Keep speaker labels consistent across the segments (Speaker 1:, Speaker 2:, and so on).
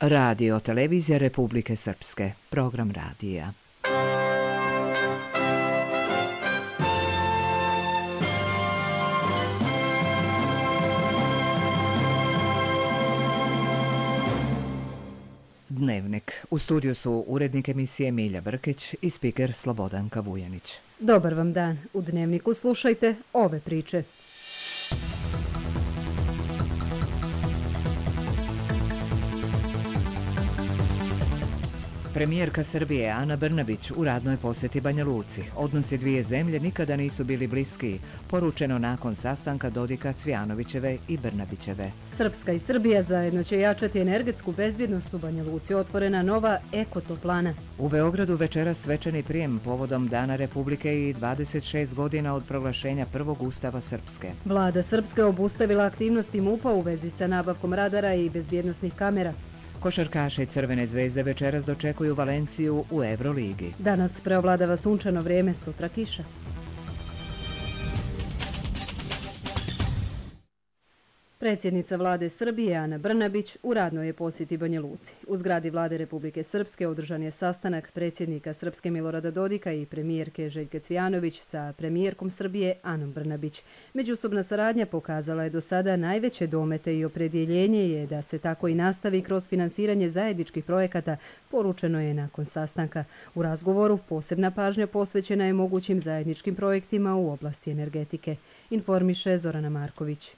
Speaker 1: Radio Televizija Republike Srpske, program radija. Dnevnik. U studiju su urednik emisije Milja Brkić i spiker Slobodanka Vujanić.
Speaker 2: Dobar vam dan. U Dnevniku slušajte ove priče.
Speaker 1: Premijerka Srbije Ana Brnabić u radnoj posjeti Banja Luci. Odnosi dvije zemlje nikada nisu bili bliskiji, poručeno nakon sastanka Dodika, Cvijanovićeve i Brnabićeve.
Speaker 2: Srpska i Srbija zajedno će jačati energetsku bezbjednost u Banja Luci. Otvorena nova ekotoplana.
Speaker 1: U Beogradu večeras svečani prijem povodom Dana Republike i 26 godina od proglašenja prvog ustava Srpske.
Speaker 2: Vlada Srpske obustavila aktivnosti MUP-a u vezi sa nabavkom radara i bezbjednosnih kamera.
Speaker 1: Košarkaši Crvene zvezde večeras dočekuju Valenciju u Euroligi.
Speaker 2: Danas preovladava sunčano vrijeme, sutra kiša. Predsjednica vlade Srbije Ana Brnabić u radnoj je posjeti Banja Luci. U zgradi vlade Republike Srpske održan je sastanak predsjednika Srpske Milorada Dodika i premijerke Željke Cvijanović sa premijerkom Srbije Anom Brnabić. Međusobna saradnja pokazala je do sada najveće domete i opredjeljenje je da se tako i nastavi kroz finansiranje zajedničkih projekata, poručeno je nakon sastanka. U razgovoru posebna pažnja posvećena je mogućim zajedničkim projektima u oblasti energetike, informiše Zorana Marković.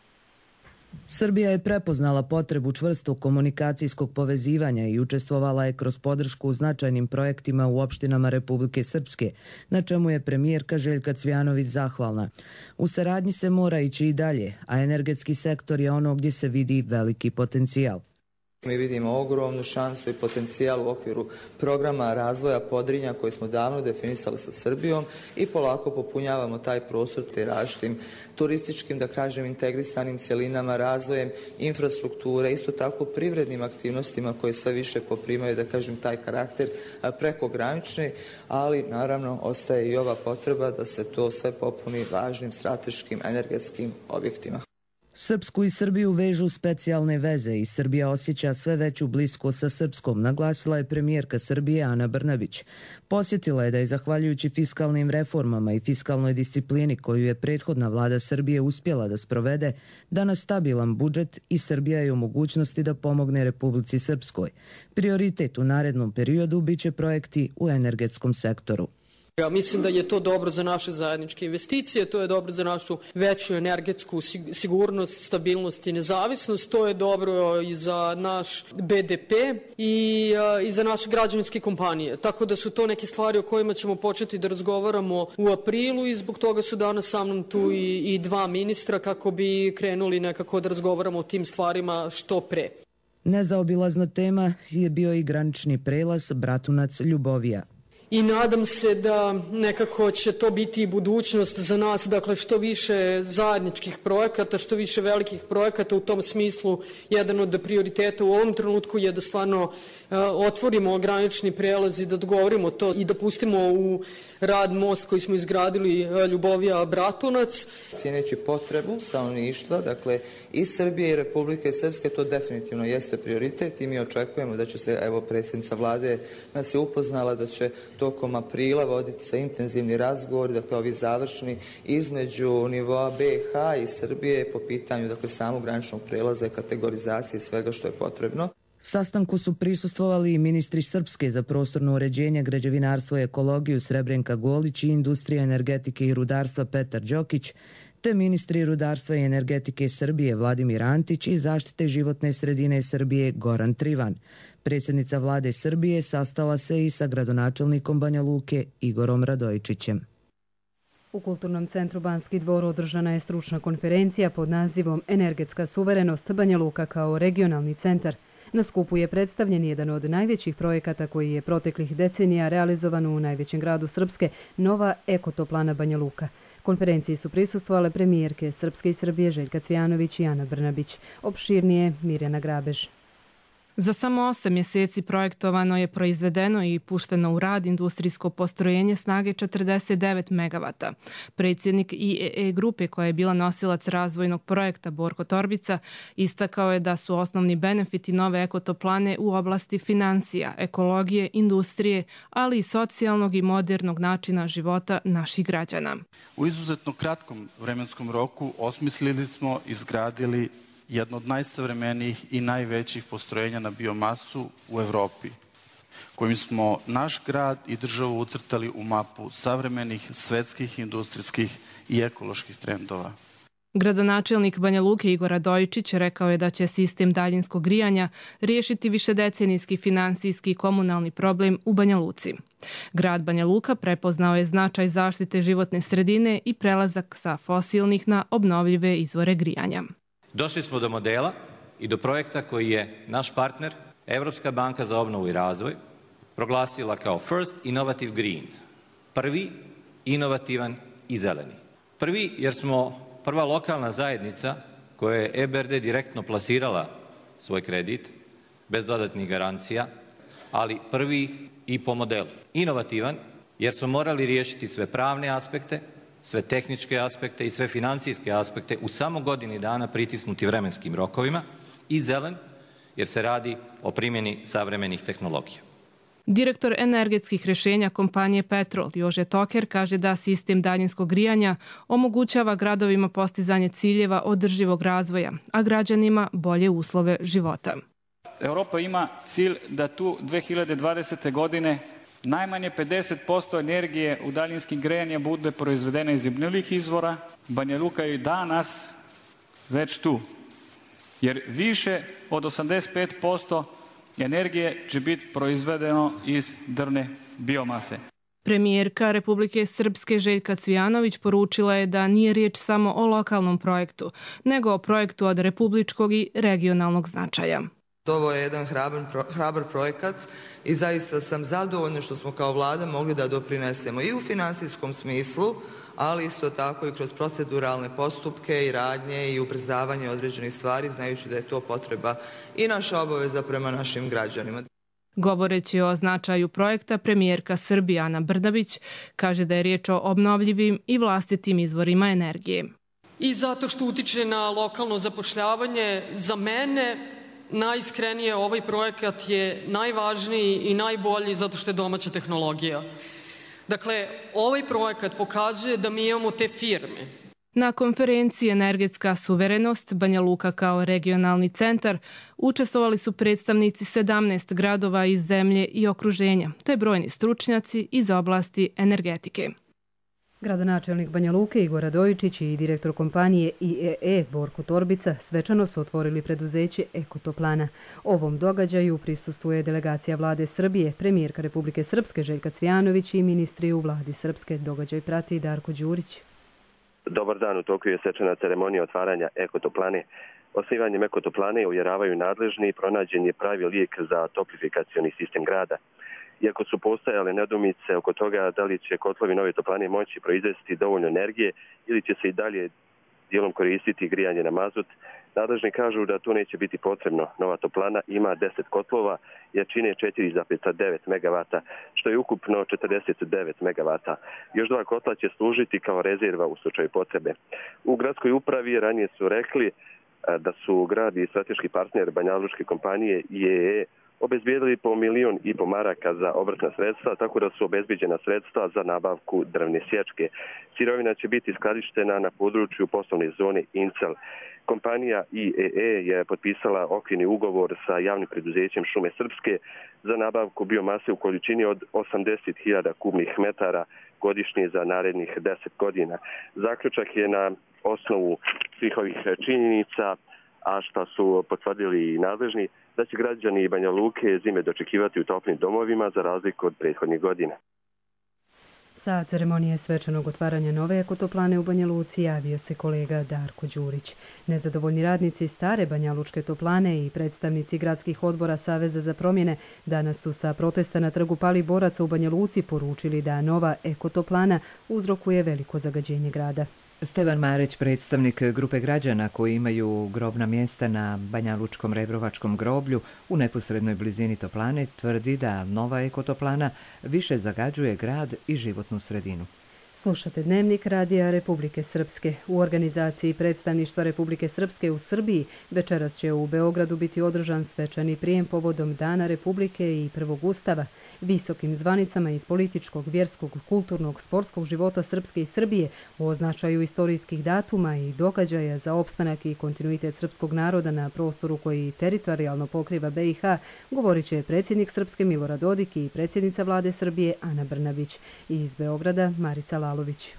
Speaker 3: Srbija je prepoznala potrebu čvrstog komunikacijskog povezivanja i učestvovala je kroz podršku u značajnim projektima u opštinama Republike Srpske, na čemu je premijerka Željka Cvijanović zahvalna. U saradnji se mora ići i dalje, a energetski sektor je ono gdje se vidi veliki potencijal.
Speaker 4: Mi vidimo ogromnu šansu i potencijal u okviru programa razvoja Podrinja koji smo davno definisali sa Srbijom i polako popunjavamo taj prostor te različitim turističkim, da kažem, integrisanim cjelinama, razvojem infrastrukture, isto tako privrednim aktivnostima koje sve više poprimaju, da kažem, taj karakter prekogranični, ali naravno ostaje i ova potreba da se to sve popuni važnim strateškim energetskim objektima.
Speaker 3: Srpsku i Srbiju vežu specijalne veze i Srbija osjeća sve veću bliskost sa Srpskom, naglasila je premijerka Srbije Ana Brnabić. Posjetila je da je zahvaljujući fiskalnim reformama i fiskalnoj disciplini koju je prethodna vlada Srbije uspjela da sprovede, danas stabilan budžet i Srbija je u mogućnosti da pomogne Republici Srpskoj. Prioritet u narednom periodu biće projekti u energetskom sektoru.
Speaker 5: Ja mislim da je to dobro za naše zajedničke investicije, to je dobro za našu veću energetsku sigurnost, stabilnost i nezavisnost, to je dobro i za naš BDP i za naše građevinske kompanije. Tako da su to neke stvari o kojima ćemo početi da razgovaramo u aprilu i zbog toga su danas sa mnom tu i dva ministra kako bi krenuli nekako da razgovaramo o tim stvarima što pre.
Speaker 3: Nezaobilazna tema je bio i granični prelaz Bratunac-Ljubovija.
Speaker 5: I nadam se da nekako će to biti i budućnost za nas, dakle što više zajedničkih projekata, što više velikih projekata. U tom smislu jedan od prioriteta u ovom trenutku je da stvarno otvorimo granični prelaz i da dogovorimo to i da pustimo u rad most koji smo izgradili Ljubovija-Bratunac.
Speaker 4: Cijeneći potrebu stanovništva, dakle i Srbije i Republike Srpske, to definitivno jeste prioritet i mi očekujemo da će se, evo predsjednica vlade nas je upoznala da će tokom aprila voditi se intenzivni razgovor, dakle ovi završni između nivoa BiH i Srbije po pitanju dakle samog graničnog prelaza i kategorizacije svega što je potrebno.
Speaker 3: Sastanku su prisustvovali i ministri Srpske za prostorno uređenje, građevinarstvo i ekologiju Srebrenka Golić i industrija, energetike i rudarstva Petar Đokić, te ministri rudarstva i energetike Srbije Vladimir Antić i zaštite životne sredine Srbije Goran Trivan. Predsjednica vlade Srbije sastala se i sa gradonačelnikom Banja Luke Igorom Radojičićem.
Speaker 2: U Kulturnom centru Banski dvor održana je stručna konferencija pod nazivom Energetska suverenost Banja Luka kao regionalni centar. Na skupu je predstavljen jedan od najvećih projekata koji je proteklih decenija realizovan u najvećem gradu Srpske, nova ekotoplana Banja Luka. Konferenciji su prisustvovale premijerke Srpske i Srbije Željka Cvijanović i Ana Brnabić. Opširnije Mirjana Grabež.
Speaker 6: Za samo 8 mjeseci projektovano je, proizvedeno i pušteno u rad industrijsko postrojenje snage 49 megavata. Predsjednik IEE grupe, koja je bila nosilac razvojnog projekta, Borko Torbica, istakao je da su osnovni benefiti nove ekotoplane u oblasti financija, ekologije, industrije, ali i socijalnog i modernog načina života naših građana.
Speaker 7: U izuzetno kratkom vremenskom roku osmislili smo, izgradili jedno od najsavremenijih i najvećih postrojenja na biomasu u Evropi, kojim smo naš grad i državu ucrtali u mapu savremenih svetskih, industrijskih i ekoloških trendova.
Speaker 6: Gradonačelnik Banja Luke Igor Radojičić rekao je da će sistem daljinskog grijanja riješiti višedecenijski finansijski i komunalni problem u Banja Luci. Grad Banja Luka prepoznao je značaj zaštite životne sredine i prelazak sa fosilnih na obnovljive izvore grijanja.
Speaker 8: Došli smo do modela i do projekta koji je naš partner, Europska banka za obnovu i razvoj, proglasila kao First Innovative Green, prvi inovativan i zeleni. Prvi jer smo prva lokalna zajednica koja je EBRD direktno plasirala svoj kredit, bez dodatnih garancija, ali prvi i po modelu. Inovativan jer smo morali riješiti sve pravne aspekte, sve tehničke aspekte i sve financijske aspekte u samo godini dana pritisnuti vremenskim rokovima, i zelen jer se radi o primjeni savremenih tehnologija.
Speaker 6: Direktor energetskih rješenja kompanije Petrol Jože Toker kaže da sistem daljinskog grijanja omogućava gradovima postizanje ciljeva održivog razvoja, a građanima bolje uslove života.
Speaker 9: Europa ima cilj da tu 2020. godine najmanje 50% energije u daljinskim grejanjem bude proizvedena iz obnovljivih izvora. Banja Luka je danas već tu, jer više od 85% energije će biti proizvedeno iz drvne biomase.
Speaker 6: Premijerka Republike Srpske Željka Cvijanović poručila je da nije riječ samo o lokalnom projektu, nego o projektu od republičkog i regionalnog značaja.
Speaker 4: Ovo je jedan hrabar projekat i zaista sam zadovoljna što smo kao vlada mogli da doprinesemo i u financijskom smislu, ali isto tako i kroz proceduralne postupke i radnje i ubrzavanje određenih stvari, znajući da je to potreba i naša obaveza prema našim građanima.
Speaker 6: Govoreći o značaju projekta, premijerka Srbije Ana Brnabić kaže da je riječ o obnovljivim i vlastitim izvorima energije.
Speaker 5: I zato što utiče na lokalno zapošljavanje, za mene najiskrenije ovaj projekat je najvažniji i najbolji zato što je domaća tehnologija. Dakle, ovaj projekat pokazuje da mi imamo te firme.
Speaker 6: Na konferenciji Energetska suverenost Banja Luka kao regionalni centar učestvovali su predstavnici 17 gradova iz zemlje i okruženja, te brojni stručnjaci iz oblasti energetike.
Speaker 2: Gradonačelnik Banja Luke Igor Radojičić i direktor kompanije IEE Borko Torbica svečano su otvorili preduzeće Ekotoplana. Ovom događaju prisustvuje delegacija vlade Srbije, premijerka Republike Srpske Željka Cvijanović i ministri u vladi Srpske. Događaj prati Darko Đurić.
Speaker 10: Dobar dan, u toku je svečana ceremonija otvaranja Ekotoplane. Osnivanjem Ekotoplane, uvjeravaju nadležni, pronađen je pravi lijek za toplifikacioni sistem grada. Iako su postojale nedoumice oko toga da li će kotlovi nove toplane moći proizvesti dovoljno energije ili će se i dalje dijelom koristiti grijanje na mazut, nadležni kažu da to neće biti potrebno. Nova toplana ima 10 kotlova, jačine 4,9 megavata, što je ukupno 49 megavata. Još 2 kotla će služiti kao rezerva u slučaju potrebe. U gradskoj upravi ranije su rekli da su grad i strateški partner banjalučke kompanije IEE obezbijedili po 1,5 miliona maraka za obrtna sredstva, tako da su obezbijeđena sredstva za nabavku drvne sječke. Sirovina će biti skladištena na području poslovne zone Incel. Kompanija IEE je potpisala okvirni ugovor sa javnim preduzećem Šume Srpske za nabavku biomase u količini od 80.000 kubnih metara godišnje za narednih 10 godina. Zaključak je na osnovu svih ovih činjenica, a što su potvrdili i nadležni, da će građani Banja Luke zime dočekivati u toplim domovima za razliku od prethodnih godina.
Speaker 2: Sa ceremonije svečanog otvaranja nove ekotoplane u Banja Luci javio se kolega Darko Đurić. Nezadovoljni radnici stare banjalučke toplane i predstavnici gradskih odbora Saveza za promjene danas su sa protesta na trgu Pali boraca u Banja Luci poručili da nova ekotoplana uzrokuje veliko zagađenje grada.
Speaker 1: Stevan Marić, predstavnik grupe građana koji imaju grobna mjesta na Banjalučkom Rebrovačkom groblju u neposrednoj blizini toplane, tvrdi da nova ekotoplana više zagađuje grad i životnu sredinu.
Speaker 2: Slušate Dnevnik Radija Republike Srpske. U organizaciji predstavništva Republike Srpske u Srbiji večeras će u Beogradu biti održan svečani prijem povodom Dana Republike i prvog ustava. Visokim zvanicama iz političkog, vjerskog, kulturnog, sportskog života Srpske i Srbije u označaju istorijskih datuma i događaja za opstanak i kontinuitet srpskog naroda na prostoru koji teritorijalno pokriva BiH, govorit će predsjednik Srpske Milorad Dodik i predsjednica vlade Srbije Ana Brnabić. Iz Beograda Marica Lalović.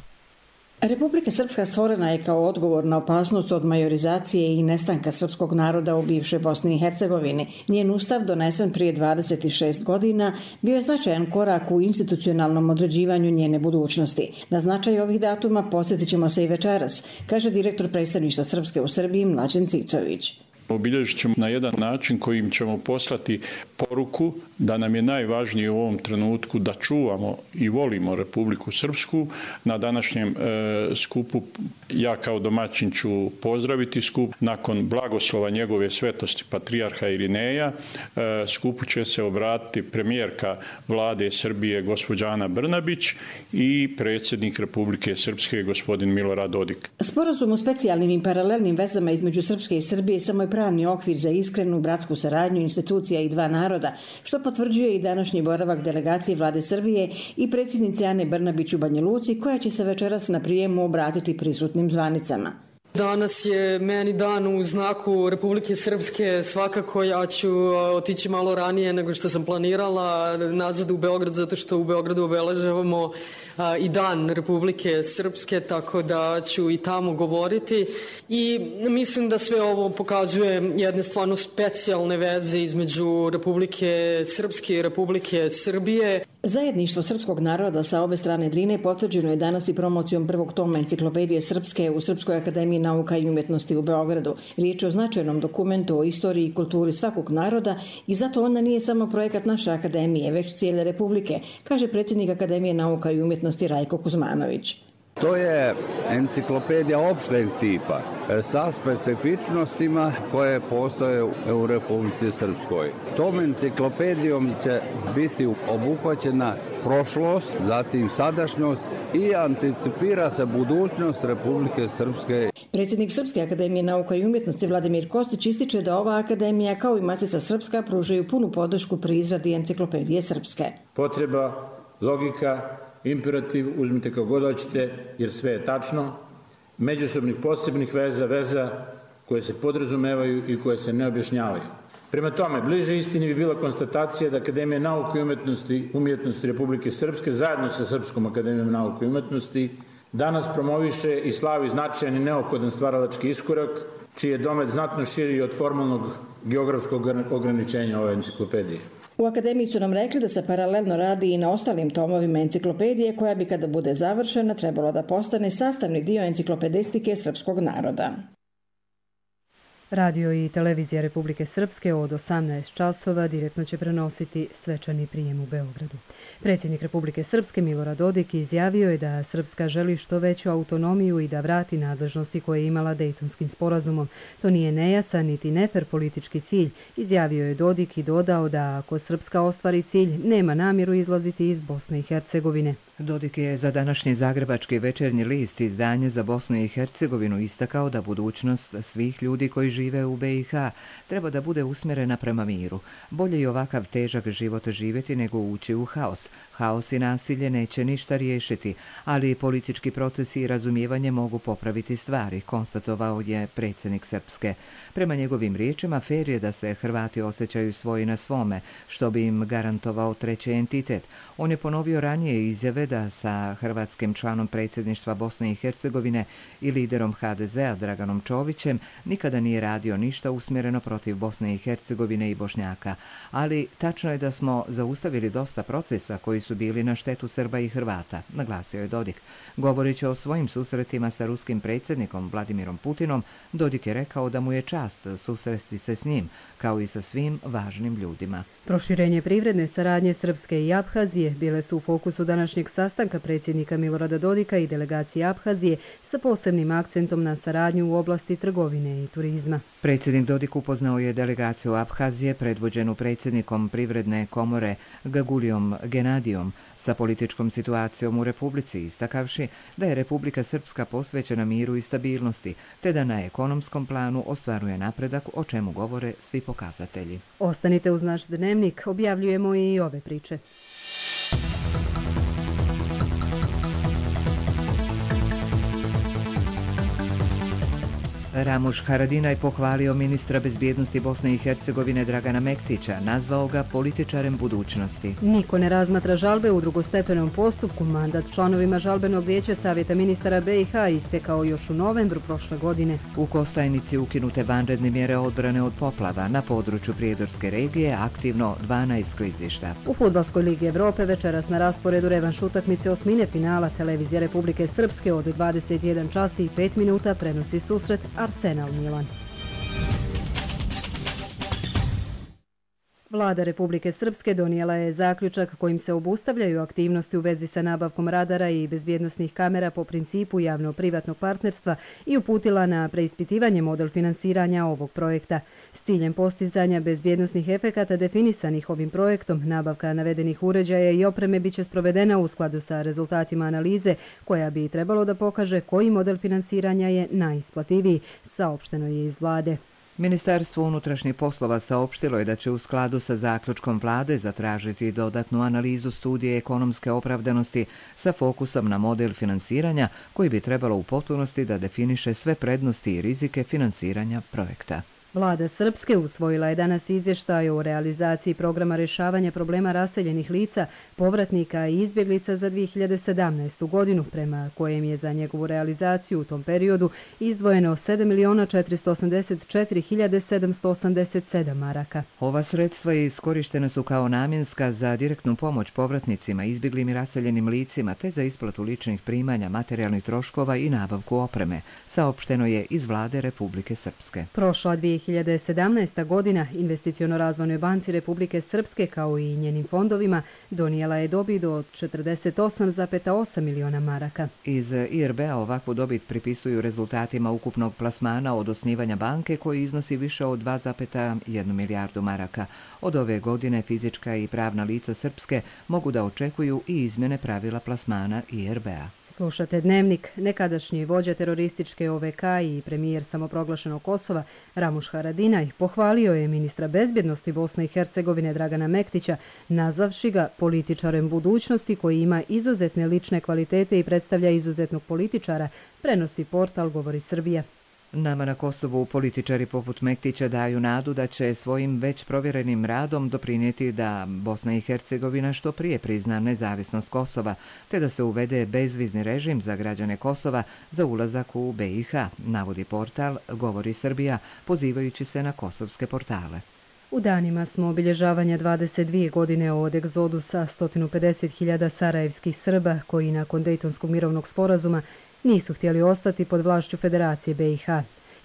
Speaker 11: Republika Srpska stvorena je kao odgovor na opasnost od majorizacije i nestanka srpskog naroda u bivšoj Bosni i Hercegovini. Njen ustav, donesen prije 26 godina, bio je značajan korak u institucionalnom određivanju njene budućnosti. Na značaj ovih datuma podsjetit ćemo se i večeras, kaže direktor predstavništva Srpske u Srbiji Mlađan Cicović.
Speaker 12: Obilježit ćemo na jedan način kojim ćemo poslati poruku da nam je najvažnije u ovom trenutku da čuvamo i volimo Republiku Srpsku. Na današnjem skupu ja kao domaćin ću pozdraviti skup. Nakon blagoslova njegove svetosti patrijarha Irineja, skupu će se obratiti premijerka vlade Srbije gospođa Ana Brnabić i predsjednik Republike Srpske gospodin Milorad Dodik.
Speaker 11: Sporazum o specijalnim i paralelnim vezama između Srpske i Srbije samo je pravni okvir za iskrenu bratsku saradnju institucija i dva naroda, što potvrđuje i današnji boravak delegacije vlade Srbije i predsjednice Ane Brnabić u Banja Luci, koja će se večeras na prijemu obratiti prisutnim zvanicama.
Speaker 5: Danas je meni dan u znaku Republike Srpske, svakako ja ću otići malo ranije nego što sam planirala nazad u Beograd, zato što u Beogradu obeležavamo i dan Republike Srpske, tako da ću i tamo govoriti i mislim da sve ovo pokazuje jedne stvarno specijalne veze između Republike Srpske i Republike Srbije.
Speaker 11: Zajedništvo srpskog naroda sa obe strane Drine potvrđeno je danas i promocijom prvog toma enciklopedije Srpske u Srpskoj akademiji nauka i umjetnosti u Beogradu. Riječ je o značajnom dokumentu o istoriji i kulturi svakog naroda i zato ona nije samo projekat naše akademije, već cijele Republike, kaže predsjednik Akademije nauka i umjetnosti Rajko Kuzmanović.
Speaker 13: To je enciklopedija opšteg tipa sa specifičnostima koje postoje u Republici Srpskoj. Tom enciklopedijom će biti obuhvaćena prošlost, zatim sadašnjost i anticipira se budućnost Republike Srpske.
Speaker 11: Predsjednik Srpske akademije nauka i umjetnosti Vladimir Kostić ističe da ova akademija kao i Matica Srpska pružaju punu podršku pri izradi enciklopedije Srpske.
Speaker 14: Potreba, logika, imperativ, uzmite kako god hoćete, jer sve je tačno, međusobnih posebnih veza koje se podrazumevaju i koje se ne objašnjavaju. Prema tome, bliže istini bi bila konstatacija da Akademija nauke i umjetnosti Republike Srpske zajedno sa Srpskom akademijom nauke i umjetnosti danas promoviše i slavi značajan i neophodan stvaralački iskorak, čiji je domet znatno širi od formalnog geografskog ograničenja ove enciklopedije.
Speaker 11: U akademiji su nam rekli da se paralelno radi i na ostalim tomovima enciklopedije koja bi kada bude završena trebalo da postane sastavni dio enciklopedistike srpskog naroda.
Speaker 2: Radio i televizija Republike Srpske od 18 časova direktno će prenositi svečani prijem u Beogradu. Predsjednik Republike Srpske Milorad Dodik izjavio je da Srpska želi što veću autonomiju i da vrati nadležnosti koje je imala Dejtonskim sporazumom. To nije nejasan niti nefer politički cilj, izjavio je Dodik i dodao da ako Srpska ostvari cilj, nema namjeru izlaziti iz Bosne i Hercegovine.
Speaker 1: Dodik je za današnji Zagrebački večernji list izdanje za Bosnu i Hercegovinu istakao da budućnost svih ljudi koji žive u BiH treba da bude usmjerena prema miru. Bolje je ovakav težak život živjeti nego ući u haos. Haos i nasilje neće ništa riješiti, ali politički procesi i razumijevanje mogu popraviti stvari, konstatovao je predsjednik Srpske. Prema njegovim riječima, fer je da se Hrvati osjećaju svoji na svome, što bi im garantovao treći entitet. On je ponovio ranije izjave da sa hrvatskim članom predsjedništva Bosne i Hercegovine i liderom HDZ-a Draganom Čovićem nikada nije radio ništa usmjereno protiv Bosne i Hercegovine i Bošnjaka. Ali tačno je da smo zaustavili dosta procesa koji su bili na štetu Srba i Hrvata, naglasio je Dodik. Govoreći o svojim susretima sa ruskim predsjednikom Vladimirom Putinom, Dodik je rekao da mu je čast susresti se s njim, kao i sa svim važnim ljudima.
Speaker 2: Proširenje privredne saradnje Srpske i Abhazije bile su u fokusu današnjeg sastanka predsjednika Milorada Dodika i delegacije Abhazije sa posebnim akcentom na saradnju u oblasti trgovine i turizma.
Speaker 1: Predsjednik Dodik upoznao je delegaciju Abhazije predvođenu predsjednikom Privredne komore Gagulijom Genadijom sa političkom situacijom u Republici, istakavši da je Republika Srpska posvećena miru i stabilnosti, te da na ekonomskom planu ostvaruje napredak, o čemu govore svi pokazatelji.
Speaker 2: Ostanite uz naš dnevnik, objavljujemo i ove priče.
Speaker 1: Ramuš Haradinaj pohvalio ministra bezbjednosti Bosne i Hercegovine Dragana Mektića, nazvao ga političarem budućnosti.
Speaker 2: Niko ne razmatra žalbe u drugostepenom postupku. Mandat članovima žalbenog vijeća Savjeta ministara BiH istekao još u novembru prošle godine.
Speaker 1: U Kostajnici ukinute vanredne mjere odbrane od poplava. Na području Prijedorske regije aktivno 12 klizišta.
Speaker 2: U Fudbalskoj ligi Evrope večeras na rasporedu revanš utakmice osmine finala. Televizija Republike Srpske od 21 čas i 5 minuta prenosi susret Arsenal Milan. Vlada Republike Srpske donijela je zaključak kojim se obustavljaju aktivnosti u vezi sa nabavkom radara i bezbjednosnih kamera po principu javno-privatnog partnerstva i uputila na preispitivanje model finansiranja ovog projekta. S ciljem postizanja bezbjednosnih efekata definisanih ovim projektom, nabavka navedenih uređaja i opreme biće sprovedena u skladu sa rezultatima analize koja bi trebalo da pokaže koji model finansiranja je najisplativiji, saopšteno je iz vlade.
Speaker 1: Ministarstvo unutrašnjih poslova saopštilo je da će u skladu sa zaključkom vlade zatražiti dodatnu analizu studije ekonomske opravdanosti sa fokusom na model finansiranja koji bi trebalo u potpunosti da definiše sve prednosti i rizike finansiranja projekta.
Speaker 2: Vlada Srpske usvojila je danas izvještaj o realizaciji programa rješavanja problema raseljenih lica, povratnika i izbjeglica za 2017. godinu, prema kojem je za njegovu realizaciju u tom periodu izdvojeno 7.484.787 maraka.
Speaker 1: Ova sredstva iskorištena su kao namjenska za direktnu pomoć povratnicima, izbjeglim i raseljenim licima, te za isplatu ličnih primanja, materijalnih troškova i nabavku opreme, saopšteno je iz vlade Republike Srpske.
Speaker 2: Prošla 2017. godina Investiciono-razvojnoj banci Republike Srpske kao i njenim fondovima donijela je dobit od 48,8 miliona maraka.
Speaker 1: Iz IRB-a ovakvu dobit pripisuju rezultatima ukupnog plasmana od osnivanja banke koji iznosi više od 2,1 milijardu maraka. Od ove godine fizička i pravna lica Srpske mogu da očekuju i izmjene pravila plasmana IRB-a.
Speaker 2: Slušate Dnevnik. Nekadašnji vođa terorističke OVK i premijer samoproglašenog Kosova Ramuš Haradinaj pohvalio je ministra bezbjednosti Bosne i Hercegovine Dragana Mektića, nazvavši ga političarem budućnosti koji ima izuzetne lične kvalitete i predstavlja izuzetnog političara, prenosi portal Govori Srbija.
Speaker 1: Nama na Kosovu političari poput Mektića daju nadu da će svojim već provjerenim radom doprinijeti da Bosna i Hercegovina što prije prizna nezavisnost Kosova, te da se uvede bezvizni režim za građane Kosova za ulazak u BiH, navodi portal Govori Srbija, pozivajući se na kosovske portale.
Speaker 2: U danima smo obilježavanja 22 godine od egzodusa 150.000 sarajevskih Srba koji nakon Dejtonskog mirovnog sporazuma nisu htjeli ostati pod vlašću Federacije BiH.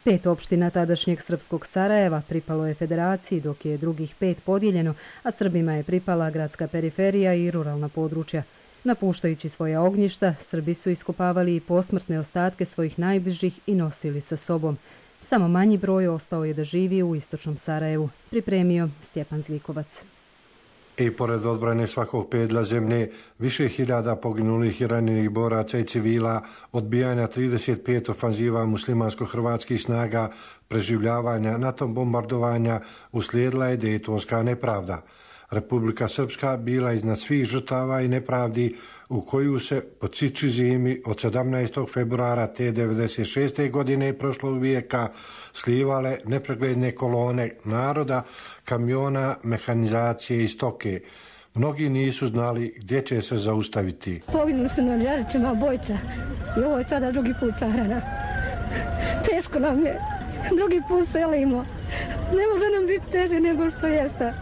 Speaker 2: 5 opština tadašnjeg srpskog Sarajeva pripalo je Federaciji, dok je drugih 5 podijeljeno, a Srbima je pripala gradska periferija i ruralna područja. Napuštajući svoja ognjišta, Srbi su iskopavali i posmrtne ostatke svojih najbližih i nosili sa sobom. Samo manji broj ostao je da živi u istočnom Sarajevu, pripremio Stjepan Zlikovac.
Speaker 15: I pored odbrane svakog pedlja zemlje, više hiljada poginulih i ranjenih boraca i civila, odbijanja 35 ofanziva muslimansko-hrvatskih snaga, preživljavanja NATO bombardovanja, uslijedila je Dejtonska nepravda. Republika Srpska bila iznad svih žrtava i nepravdi u koju se po ciči zimi od 17. februara te 96. godine prošlog vijeka slivale nepregledne kolone naroda, kamiona, mehanizacije i stoke. Mnogi nisu znali gdje će se zaustaviti.
Speaker 16: Poginuli su na Žarićima obojica i ovo je sada drugi put sahrana. Teško nam je, drugi put selimo. Ne može nam biti teže nego što jeste.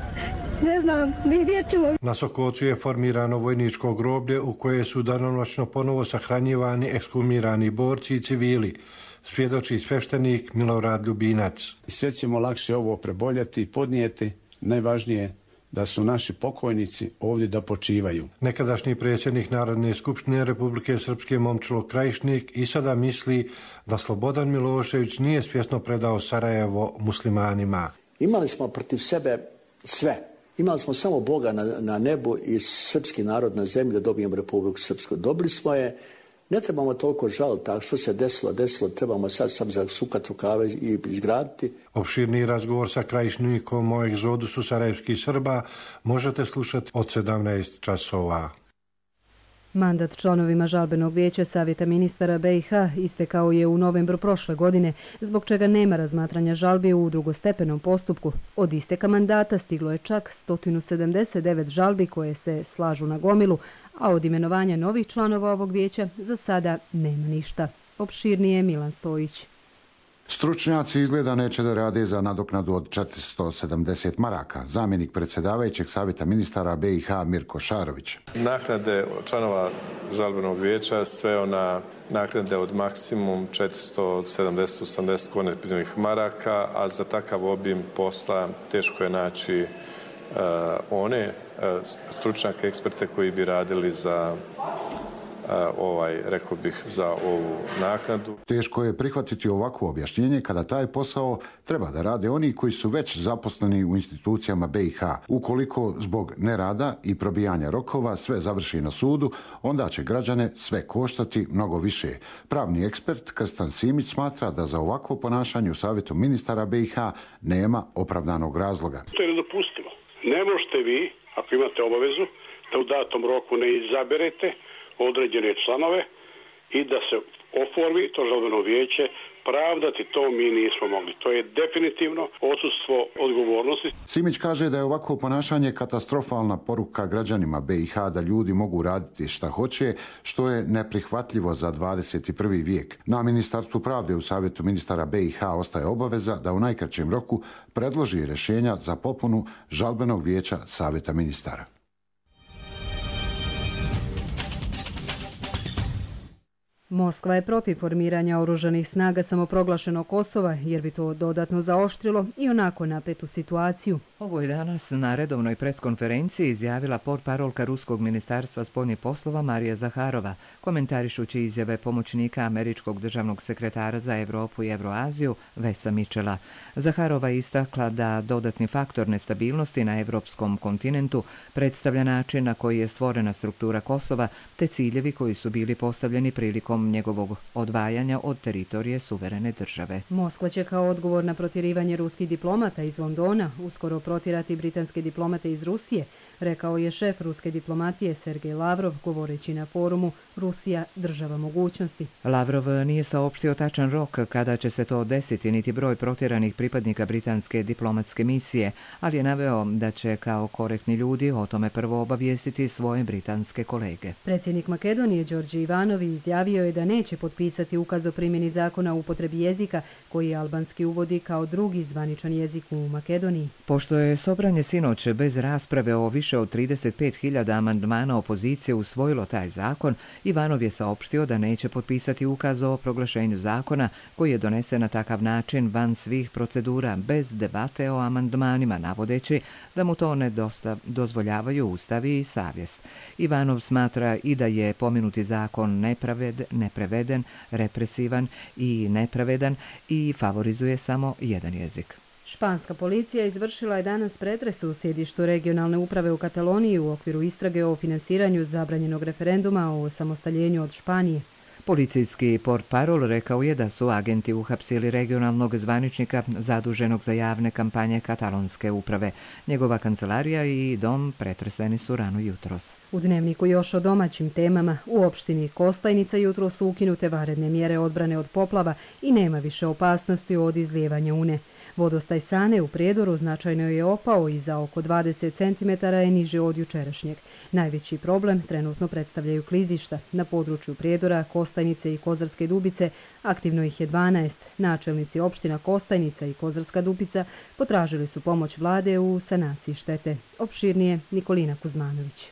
Speaker 16: Ne znam, gdje ćemo.
Speaker 15: Na Sokocu je formirano vojničko groblje u koje su danonoćno ponovo sahranjivani ekshumirani borci i civili, svjedoči sveštenik Milorad Ljubinac.
Speaker 17: Sve ćemo lakše ovo preboljeti i podnijeti. Najvažnije da su naši pokojnici ovdje da počivaju.
Speaker 15: Nekadašnji predsjednik Narodne skupštine Republike Srpske Momčilo Krajišnik i sada misli da Slobodan Milošević nije svjesno predao Sarajevo muslimanima.
Speaker 18: Imali smo protiv sebe sve. Imali smo samo Boga na nebu i srpski narod na zemlji da dobijemo Republiku Srpsku. Dobili smo je, ne trebamo toliko žaliti, tako što se desilo, trebamo sad zasukati rukave i izgraditi.
Speaker 15: Opširni razgovor sa Krajišnikom o egzodusu sarajevskih Srba možete slušati od 17 časova.
Speaker 2: Mandat članovima žalbenog vijeća Savjeta ministara BiH istekao je u novembru prošle godine, zbog čega nema razmatranja žalbi u drugostepenom postupku. Od isteka mandata stiglo je čak 179 žalbi koje se slažu na gomilu, a od imenovanja novih članova ovog vijeća za sada nema ništa. Opširnije Milan Stojić.
Speaker 19: Stručnjaci izgleda neće da rade za nadoknadu od 470 maraka. Zamjenik predsjedavajućeg Savjeta ministara BiH Mirko Šarović.
Speaker 20: Naknade članova žalbenog vijeća sve na naknade od maksimum 470-80 konvertibilnih maraka, a za takav obim posla teško je naći one stručnjake, eksperte koji bi radili za rekao bih, za ovu naknadu.
Speaker 19: Teško je prihvatiti ovako objašnjenje kada taj posao treba da rade oni koji su već zaposleni u institucijama BiH. Ukoliko zbog nerada i probijanja rokova sve završi na sudu, onda će građane sve koštati mnogo više. Pravni ekspert Krstan Simić smatra da za ovako ponašanje u Savjetu ministara BiH nema opravdanog razloga.
Speaker 21: To je nedopustivo. Ne možete vi, ako imate obavezu, da u datom roku ne izaberete određene članove i da se oformi to žalbeno vijeće, pravdati to mi nismo mogli. To je definitivno odsustvo odgovornosti.
Speaker 19: Simić kaže da je ovako ponašanje katastrofalna poruka građanima BiH da ljudi mogu raditi šta hoće, što je neprihvatljivo za 21. vijek. Na Ministarstvu pravde u Savjetu ministara BiH ostaje obaveza da u najkraćem roku predloži rješenja za popunu žalbenog vijeća Savjeta ministara.
Speaker 2: Moskva je protiv formiranja oružanih snaga samoproglašenog Kosova, jer bi to dodatno zaoštrilo i onako napetu situaciju.
Speaker 1: Ovo je danas na redovnoj preskonferenciji izjavila portparolka Ruskog ministarstva spoljnih poslova Marija Zaharova, komentarišući izjave pomoćnika američkog državnog sekretara za Evropu i Evroaziju Vesa Mičela. Zaharova je istakla da dodatni faktor nestabilnosti na evropskom kontinentu predstavlja način na koji je stvorena struktura Kosova te ciljevi koji su bili postavljeni prilikom njegovog odvajanja od teritorije suverene države.
Speaker 2: Moskva će kao odgovor na protjerivanje ruskih diplomata iz Londona uskoro protirati britanske diplomate iz Rusije, rekao je šef ruske diplomatije Sergej Lavrov govoreći na forumu Rusija država mogućnosti.
Speaker 1: Lavrov nije saopštio tačan rok kada će se to desiti niti broj protjeranih pripadnika britanske diplomatske misije, ali je naveo da će kao korektni ljudi o tome prvo obavijestiti svoje britanske kolege.
Speaker 2: Predsjednik Makedonije Đorđe Ivanovi izjavio je da neće potpisati ukaz o primjeni zakona o upotrebi jezika koji albanski uvodi kao drugi zvaničan jezik u Makedoniji.
Speaker 1: Pošto je Sobranje sinoć bez rasprave o više od 35.000 amandmana opozicije usvojilo taj zakon, Ivanov je saopštio da neće potpisati ukaz o proglašenju zakona koji je donesen na takav način van svih procedura bez debate o amandmanima, navodeći da mu to ne dozvoljavaju ustavi i savjest. Ivanov smatra i da je pomenuti zakon nepreveden, represivan i nepravedan i favorizuje samo jedan jezik.
Speaker 2: Španska policija izvršila je danas pretres u sjedištu regionalne uprave u Kataloniji u okviru istrage o finansiranju zabranjenog referenduma o osamostaljenju od Španije.
Speaker 1: Policijski portparol rekao je da su agenti uhapsili regionalnog zvaničnika zaduženog za javne kampanje katalonske uprave. Njegova kancelarija i dom pretreseni su rano jutros.
Speaker 2: U dnevniku još o domaćim temama. U opštini Kostajnica jutro su ukinute vanredne mjere odbrane od poplava i nema više opasnosti od izlijevanja Une. Vodostaj Sane u Prijedoru značajno je opao i za oko 20 cm je niže od jučerašnjeg. Najveći problem trenutno predstavljaju klizišta. Na području Prijedora, Kostajnice i Kozarske Dubice aktivno ih je 12. Načelnici opština Kostajnica i Kozarska Dubica potražili su pomoć vlade u sanaciji štete. Opširnije Nikolina Kuzmanović.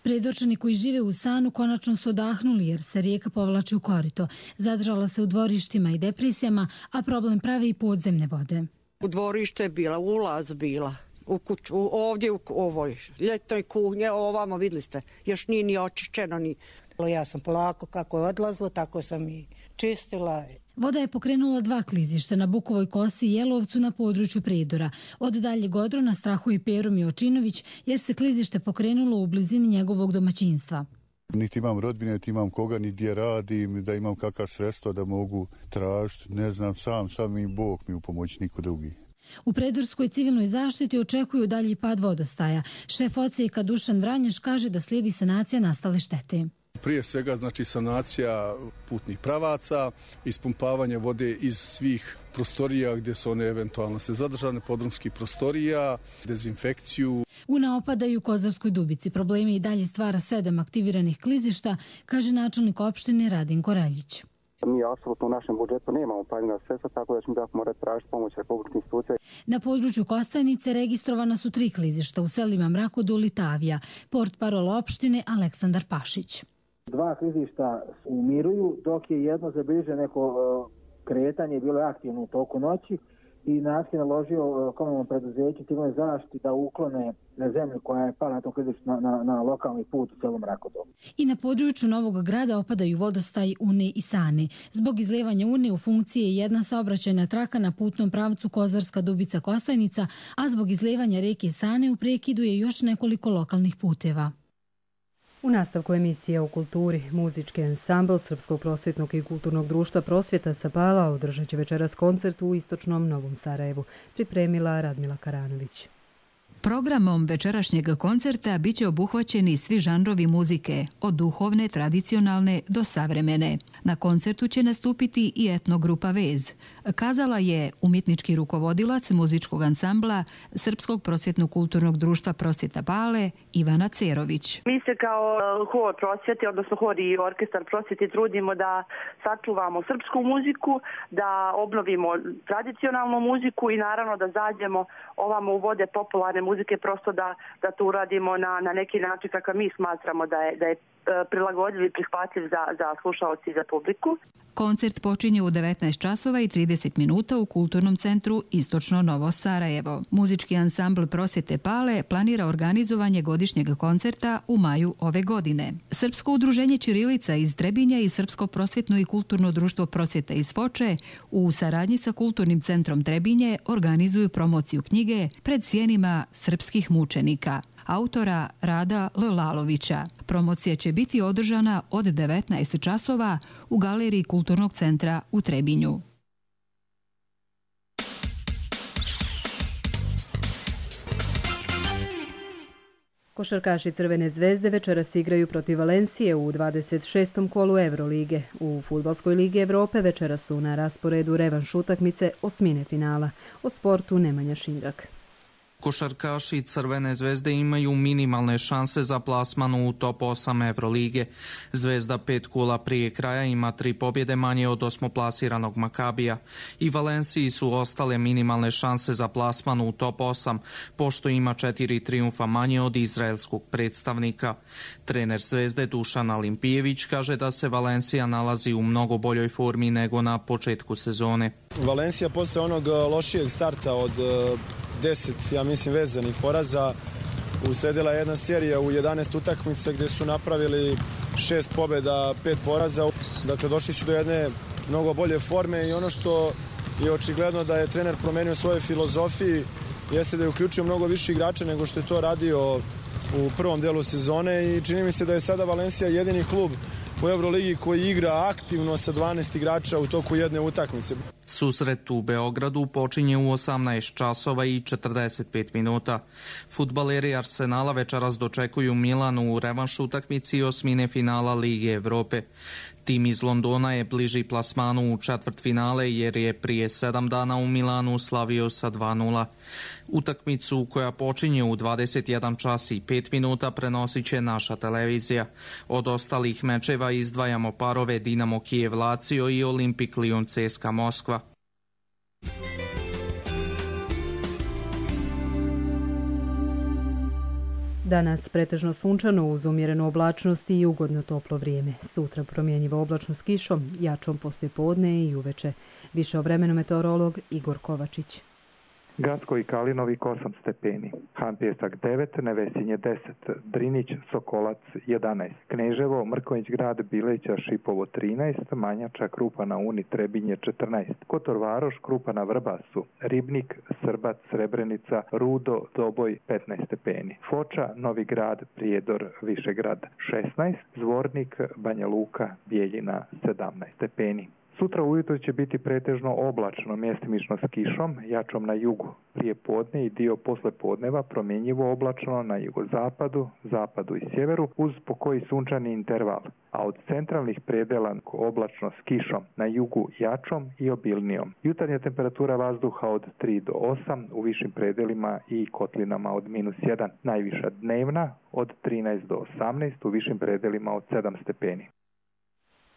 Speaker 22: Prijedorčani koji žive u Sanu konačno su odahnuli jer se rijeka povlači u korito. Zadržala se u dvorištima i depresijama, a problem pravi i podzemne vode.
Speaker 23: U dvorište je bila, ulaz bila.
Speaker 3: u kuću, ovdje u ovoj ljetnoj kuhnji, ovamo vidjeli ste, još nije ni očišćeno ni.
Speaker 7: Ja sam polako kako je odlazilo, tako sam i čistila.
Speaker 22: Voda je pokrenula 2 klizišta na Bukovoj kosi i Jelovcu na području Prijedora. Od daljeg odrona strahuje Pero Miočinović jer se klizište pokrenulo u blizini njegovog domaćinstva.
Speaker 23: Niti imam rodbine, niti imam koga, ni gdje radim, da imam kakva sredstva da mogu tražiti. Ne znam, sam mi Bog mi u pomoć, niko drugi.
Speaker 22: U Predorskoj civilnoj zaštiti očekuju dalji pad vodostaja. Šef odsjeka Dušan Vranješ kaže da slijedi sanacija nastale štete.
Speaker 24: Prije svega znači sanacija putnih pravaca, ispumpavanje vode iz svih prostorija gdje su one eventualno se zadržane, podrumskih prostorija, dezinfekciju.
Speaker 22: U naopadaju Kozarskoj Dubici problemi i dalje stvara 7 aktiviranih klizišta, kaže načelnik opštine Radin Koreljić.
Speaker 25: Mi apsolutno u našem budžetu nemamo planirana sredstva, tako da ćemo da morati tražiti pomoć republičkih institucija.
Speaker 22: Na području Kostajnice registrovana su 3 klizišta u selima Mrakodul i Tavija. Portparol opštine Aleksandar Pašić.
Speaker 26: 2 klizišta umiruju, dok je jedno zabilježeno neko kretanje, bilo je aktivno u toku noći i naski naložio komunalnom preduzeću civilnoj zaštiti da uklone na zemlju koja je pala na tom klizištu na lokalni put u selu Mrakodol.
Speaker 22: I na području Novog Grada opadaju vodostaj Une i Sane. Zbog izlijevanja Une u funkciji je jedna saobraćajna traka na putnom pravcu Kozarska Dubica Kostajnica, a zbog izlijevanja reke Sane u prekidu je još nekoliko lokalnih puteva.
Speaker 2: U nastavku emisije o kulturi, muzički ansambl Srpskog prosvjetnog i kulturnog društva Prosvjeta sa Pala održat će večeras koncert u istočnom Novom Sarajevu, pripremila Radmila Karanović.
Speaker 27: Programom večerašnjeg koncerta biće obuhvaćeni svi žanrovi muzike, od duhovne, tradicionalne do savremene. Na koncertu će nastupiti i etnogrupa Vez. Kazala je umjetnički rukovodilac muzičkog ansambla Srpskog prosvjetno-kulturnog društva Prosvjeta Pale Ivana Cerović.
Speaker 28: Mi se kao hor prosvjete, odnosno hor i orkestar prosvjete trudimo da sačuvamo srpsku muziku, da obnovimo tradicionalnu muziku i naravno da zađemo ovamo u vode popularne muzike, prosto da to uradimo na neki način kako mi smatramo da je prilagodljiv i prihvatljiv za slušaoci i za publiku.
Speaker 27: Koncert počinje u 19 časova i 30 minuta u Kulturnom centru Istočno Novo Sarajevo. Muzički ansambl Prosvjete Pale planira organizovanje godišnjeg koncerta u maju ove godine. Srpsko udruženje Ćirilica iz Trebinja i Srpsko prosvjetno i kulturno društvo Prosvjeta iz Foče u saradnji sa Kulturnim centrom Trebinje organizuju promociju knjige Pred sjenima srpskih mučenika autora Rada L. Lalovića. Promocija će biti održana od 19 časova u galeriji Kulturnog centra u Trebinju.
Speaker 2: Košarkaši Crvene zvezde večeras igraju protiv Valencije u 26. kolu Eurolige. U Fudbalskoj ligi Evrope večeras su na rasporedu revanš utakmice osmine finala. O sportu Nemanja Šindrak.
Speaker 29: Košarkaši Crvene zvezde imaju minimalne šanse za plasman u top 8 Evrolige. Zvezda 5 kola prije kraja ima 3 pobjede manje od osmoplasiranog Makabija. I Valenciji su ostale minimalne šanse za plasman u top 8, pošto ima 4 trijumfa manje od izraelskog predstavnika. Trener Zvezde Dušan Alimpijević kaže da se Valencija nalazi u mnogo boljoj formi nego na početku sezone.
Speaker 30: Valencija posle onog lošijeg starta od 10, ja mislim, vezanih poraza, usledila jedna serija u 11 utakmica gdje su napravili 6 pobjeda, 5 poraza. Dakle, došli su do jedne mnogo bolje forme i ono što je očigledno da je trener promenio svoje filozofiji jeste da je uključio mnogo više igrača nego što je to radio u prvom delu sezone i čini mi se da je sada Valencija jedini klub u Euroligi koji igra aktivno sa 12 igrača u toku jedne utakmice.
Speaker 29: Susret u Beogradu počinje u 18 časova i 45 minuta. Fudbaleri Arsenala večeras dočekuju Milanu u revanš utakmici osmine finala Lige Evrope. Tim iz Londona je bliži plasmanu u četvrtfinale jer je prije 7 dana u Milanu slavio sa 2:0. Utakmicu koja počinje u 21 čas i 5 minuta prenosit će naša televizija. Od ostalih mečeva izdvajamo parove Dinamo Kijev Lazio i Olimpik Lyon CSKA Moskva.
Speaker 2: Danas pretežno sunčano uz umjerenu oblačnost i ugodno toplo vrijeme. Sutra promjenjivo oblačno s kišom, jačom poslije podne i uveče. Više o vremenu meteorolog Igor Kovačić.
Speaker 4: Gacko i Kalinovik 8 stepeni, Han Pjesak 9, Nevesinje 10, Drinić, Sokolac 11, Kneževo, Mrkonjić grad, Bileća, Šipovo 13, Manjača, Krupa na Uni, Trebinje 14, Kotor Varoš, Krupa na Vrbasu, Ribnik, Srbac, Srebrenica, Rudo, Doboj 15 stepeni, Foča, Novi grad, Prijedor, Višegrad 16, Zvornik, Banja Luka, Bijeljina 17 stepeni. Sutra ujutro će biti pretežno oblačno, mjestimično s kišom, jačom na jugu. Prije podne i dio posle podneva promjenjivo oblačno na jugozapadu, zapadu i sjeveru uz pokoji sunčani interval, a od centralnih predela oblačno s kišom, na jugu jačom i obilnijom. Jutarnja temperatura vazduha od 3 do 8, u višim predelima i kotlinama od -1. Najviša dnevna od 13 do 18, u višim predelima od 7 stepeni.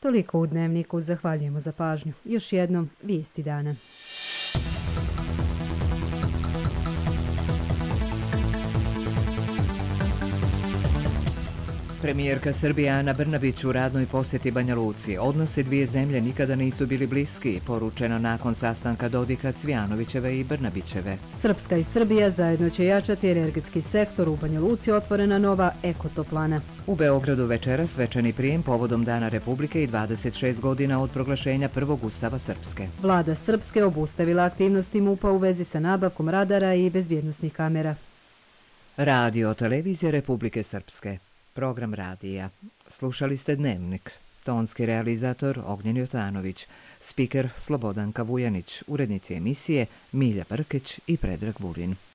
Speaker 2: Toliko u Dnevniku, zahvaljujemo za pažnju. Još jednom, vijesti dana.
Speaker 1: Premijerka Srbije Ana Brnabić u radnoj posjeti Banja Luci. Odnose dvije zemlje nikada nisu bili bliski, poručeno nakon sastanka Dodika, Cvijanovićeve i Brnabićeve.
Speaker 2: Srpska i Srbija zajedno će jačati energetski sektor. U Banja Luci otvorena nova ekotoplana.
Speaker 1: U Beogradu večeras svečani prijem povodom Dana Republike i 26 godina od proglašenja prvog ustava Srpske.
Speaker 2: Vlada Srpske obustavila aktivnosti MUP-a u vezi sa nabavkom radara i bezbjednosnih kamera.
Speaker 1: Radio Televizija Republike Srpske. Program radija. Slušali ste Dnevnik. Tonski realizator Ognjen Jotanović. Spiker Slobodanka Vujanić. Urednici emisije Milja Brkeć i Predrag Vulin.